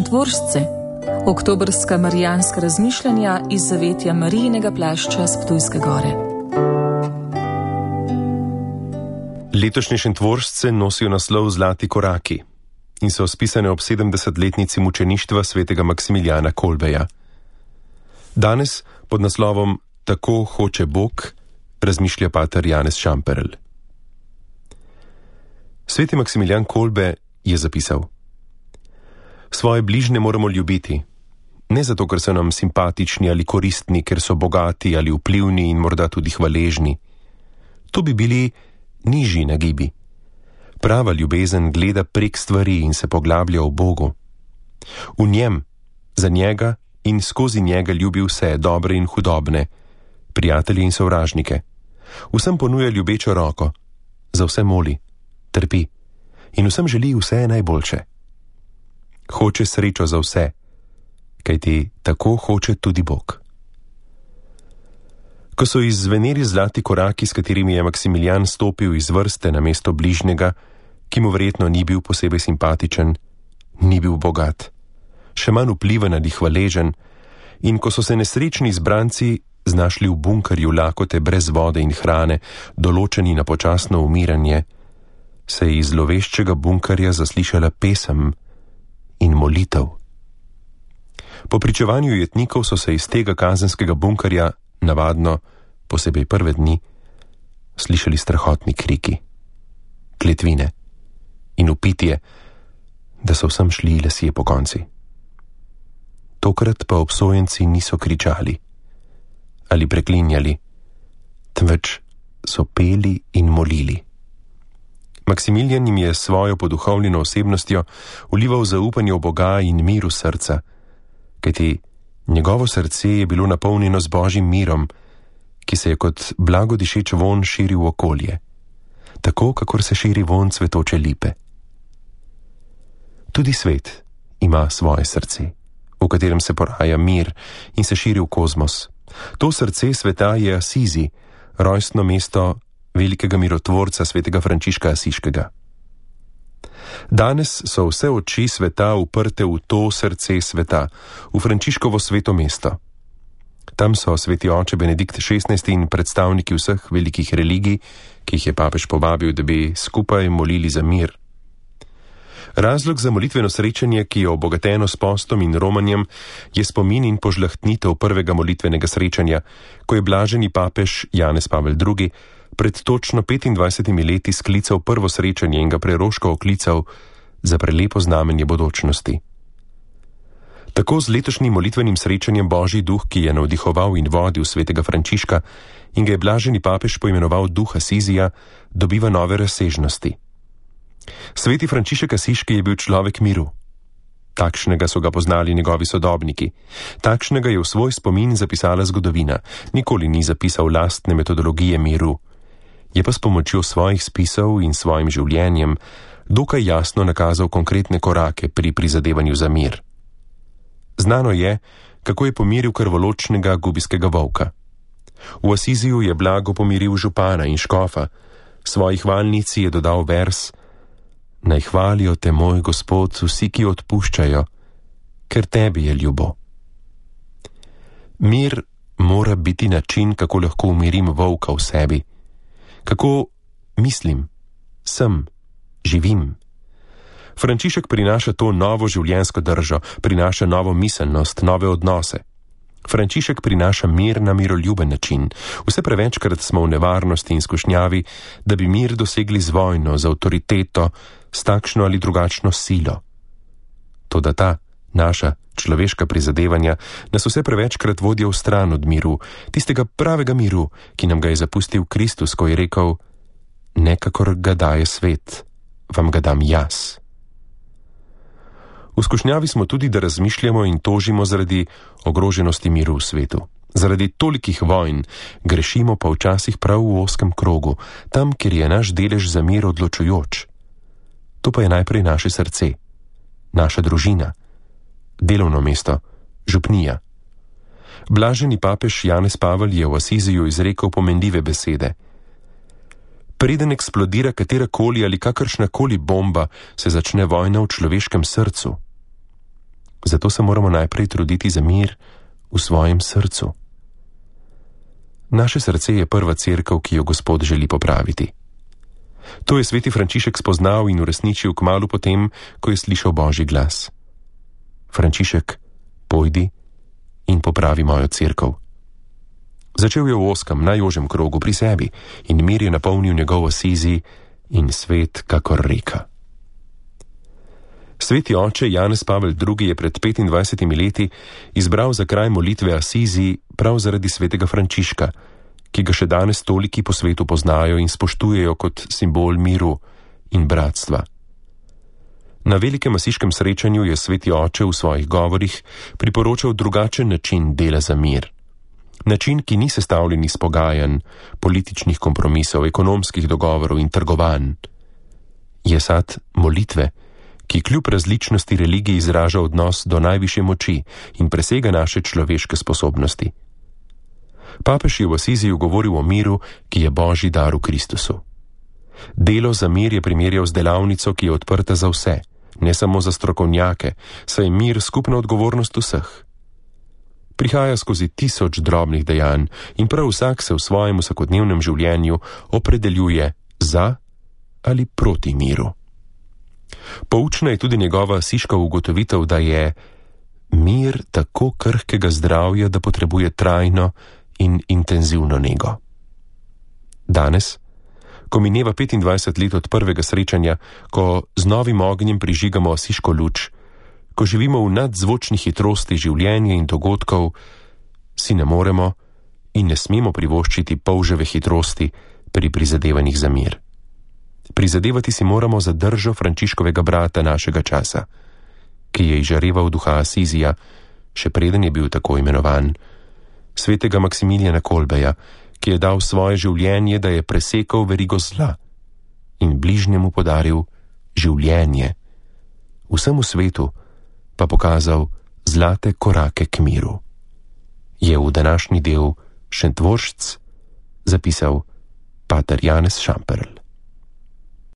Šentvoržce, oktobrska marijanska razmišljanja iz zavetja Marijinega plašča s Ptujske gore. Letošnje Šentvoržce nosijo naslov Zlati koraki in so spisane ob 70-letnici mučeništva svetega Maksimiljana Kolbeja. Danes pod naslovom Tako hoče Bog razmišlja pater Janez Šamperl. Sveti Maksimilijan Kolbe je zapisal: Svoje bližnje moramo ljubiti, ne zato, ker so nam simpatični ali koristni, ker so bogati ali vplivni in morda tudi hvaležni. To bi bili nižji nagibi. Prava ljubezen gleda prek stvari in se poglablja v Bogu. V njem, za njega in skozi njega ljubi vse, dobre in hudobne, prijatelje in sovražnike. Vsem ponuja ljubečo roko, za vse moli, trpi in vsem želi vse najboljše. Hoče srečo za vse, kajti tako hoče tudi Bog. Ko so izzveneli zlati koraki, s katerimi je Maksimilijan stopil iz vrste na mesto bližnjega, ki mu verjetno ni bil posebej simpatičen, ni bil bogat, še manj vpliven ali hvaležen, in ko so se nesrečni izbranci znašli v bunkerju lakote brez vode in hrane, določeni na počasno umiranje, se je iz zloveščega bunkerja zaslišala pesem in molitev. Po pričevanju jetnikov so se iz tega kazenskega bunkerja, navadno, posebej prve dni, slišali strahotni kriki, kletvine in vpitje, da so vsem šli lesje pokonci. Tokrat pa obsojenci niso kričali ali preklinjali, temveč so peli in molili. Maksimilijan jim je svojo poduhovljeno osebnostjo vlival zaupanje v Boga in mir v srca, kajti njegovo srce je bilo napolnjeno z Božjim mirom, ki se je kot blago dišeč vonj širil v okolje, tako kakor se širi vonj cvetoče lipe. Tudi svet ima svoje srce, v katerem se poraja mir in se širi v kozmos. To srce sveta je Asizi, rojstno mesto velikega mirotvorca svetega Frančiška Asiškega. Danes so vse oči sveta uprte v to srce sveta, v Frančiškovo sveto mesto. Tam so sveti oče Benedikt XVI in predstavniki vseh velikih religij, ki jih je papež povabil, da bi skupaj molili za mir. Razlog za molitveno srečanje, ki je obogateno s postom in romanjem, je spomin in požlahtnitev prvega molitvenega srečanja, ko je blaženi papež Janez Pavel II pred točno 25 leti sklical prvo srečanje in ga preroško oklical za prelepo znamenje bodočnosti. Tako z letošnjim molitvenim srečanjem Božji duh, ki je navdihoval in vodil svetega Frančiška in ga je blaženi papež poimenoval duh Asizija, dobiva nove razsežnosti. Sveti Frančišek Asiški je bil človek miru. Takšnega so ga poznali njegovi sodobniki. Takšnega je v svoj spomin zapisala zgodovina. Nikoli ni zapisal lastne metodologije miru. Je pa s pomočjo svojih spisov in svojim življenjem dokaj jasno nakazal konkretne korake pri prizadevanju za mir. Znano je, kako je pomiril krvoločnega gubijskega volka. V Asiziju je blago pomiril župana in škofa. Svoji hvalnici je dodal vers: Naj hvalijo te, moj Gospod, vsi, ki odpuščajo, ker tebi je ljubo. Mir mora biti način, kako lahko umirim volka v sebi. Kako mislim, sem, živim. Frančišek prinaša to novo življenjsko držo, prinaša novo miselnost, nove odnose. Frančišek prinaša mir na miroljuben način. Vse prevečkrat smo v nevarnosti in skušnjavi, da bi mir dosegli z vojno, z avtoriteto, s takšno ali drugačno silo. Toda ta naša človeška prizadevanja nas vse prevečkrat vodijo v stran od miru, tistega pravega miru, ki nam ga je zapustil Kristus, ko je rekel: Ne kakor ga daje svet, vam ga dam jaz. V skušnjavi smo tudi, da razmišljamo in tožimo zaradi ogroženosti miru v svetu. Zaradi tolikih vojn grešimo pa včasih prav v ozkem krogu, tam, kjer je naš delež za mir odločujoč. To pa je najprej naše srce, naša družina, delovno mesto, župnija. Blaženi papež Janez Pavel je v Asiziju izrekel pomenljive besede. Preden eksplodira katerakoli ali kakršnakoli bomba, se začne vojna v človeškem srcu. Zato se moramo najprej truditi za mir v svojem srcu. Naše srce je prva cerkev, ki jo Gospod želi popraviti. To je sveti Frančišek spoznal in uresničil kmalu potem, ko je slišal Božji glas. Frančišek, pojdi in popravi mojo cerkev. Začel je v ozkem, najožjem krogu pri sebi in mir je napolnil njegov Asizi in svet kakor reka. Sveti oče Janez Pavel II. Je pred 25 leti izbral za kraj molitve Asizi prav zaradi svetega Frančiška, ki ga še danes toliki po svetu poznajo in spoštujejo kot simbol miru in bratstva. Na velikem asiškem srečanju je sveti oče v svojih govorih priporočal drugačen način dela za mir. Način, ki ni sestavljen iz pogajanj, političnih kompromisov, ekonomskih dogovorov in trgovanj. Je sad molitve, ki kljub različnosti religij izraža odnos do najvišje moči in presega naše človeške sposobnosti. Papež je v Asiziju govoril o miru, ki je Božji dar v Kristusu. Delo za mir je primerjal z delavnico, ki je odprta za vse, ne samo za strokovnjake, saj je mir skupna odgovornost vseh. Prihaja skozi 1000 drobnih dejanj in prav vsak se v svojem vsakodnevnem življenju opredeljuje za ali proti miru. Poučna je tudi njegova asiška ugotovitev, da je mir tako krhkega zdravja, da potrebuje trajno in intenzivno nego. Danes, ko mineva 25 let od prvega srečanja, ko z novim ognjem prižigamo asiško luč, ko živimo v nadzvočni hitrosti življenja in dogodkov, si ne moremo in ne smemo privoščiti polževe hitrosti pri prizadevanjih za mir. Prizadevati si moramo za držo Frančiškovega brata našega časa, ki je izžareval duha Asizija, še preden je bil tako imenovan, svetega Maksimilijana Kolbeja, ki je dal svoje življenje, da je presekal verigo zla in bližnjemu podaril življenje, vsemu svetu pa pokazal zlate korake k miru. Je v današnji del Šentvoršc zapisal pater Janez Šamperl.